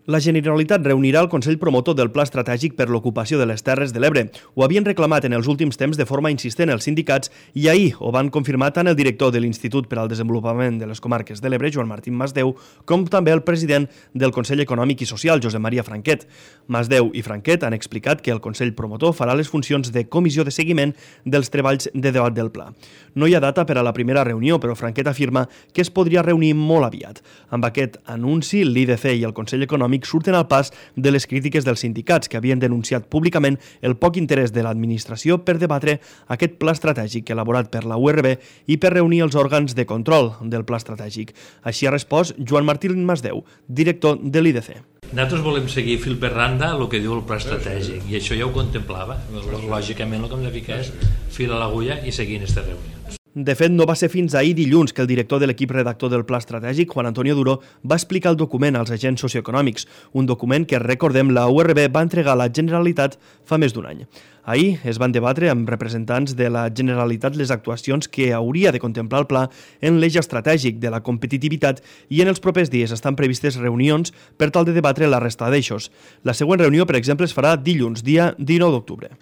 La Generalitat reunirà el Consell Promotor del Pla Estratègic per l'Ocupació de les Terres de l'Ebre. Ho havien reclamat en els últims temps de forma insistent els sindicats i ahir ho van confirmar tant el director de l'Institut per al Desenvolupament de les Comarques de l'Ebre, Joan Martín Masdeu, com també el president del Consell Econòmic i Social, Josep Maria Franquet. Masdeu i Franquet han explicat que el Consell Promotor farà les funcions de comissió de seguiment dels treballs de debat del pla. No hi ha data per a la primera reunió, però Franquet afirma que es podria reunir molt aviat. Amb aquest anunci, l'IDC i el Consell Econòmic surten al pas de les crítiques dels sindicats que havien denunciat públicament el poc interès de l'administració per debatre aquest pla estratègic elaborat per la URB i per reunir els òrgans de control del pla estratègic. Així ha respost Joan Martín Masdeu, director de l'IDC. Nosaltres volem seguir fil per randa el que diu el pla estratègic i això ja ho contemplava. Lògicament el que hem de ficar és fil a l'agulla i seguir en aquestes reunions. De fet, no va ser fins ahir dilluns que el director de l'equip redactor del Pla Estratègic, Juan Antonio Duro, va explicar el document als agents socioeconòmics, un document que, recordem, la URB va entregar a la Generalitat fa més d'un any. Ahir es van debatre amb representants de la Generalitat les actuacions que hauria de contemplar el pla en l'eix estratègic de la competitivitat i en els propers dies estan previstes reunions per tal de debatre la resta d'eixos. La següent reunió, per exemple, es farà dilluns, dia 19 d'octubre.